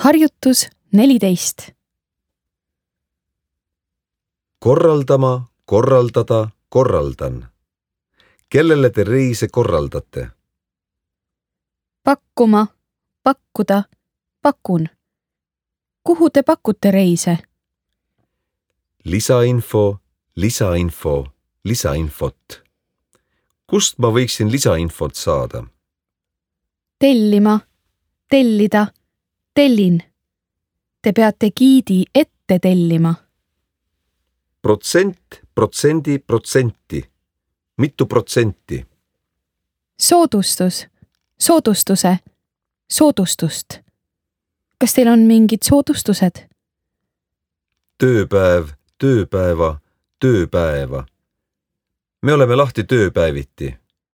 Harjutus 14. Korraldama, korraldada, korraldan. Kellele te reise korraldate? Pakkuma, pakkuda, pakun. Kuhu te pakute reise? Lisainfo, lisainfo, lisainfot. Kust ma võiksin lisainfot saada? Tellima, tellida, tellin. Te peate giidi ette tellima. Protsent, protsendi, protsenti. Mitu protsenti? Soodustus, soodustuse, soodustust. Kas teil on mingid soodustused? Tööpäev, tööpäeva, tööpäeva. Me oleme lahti tööpäeviti.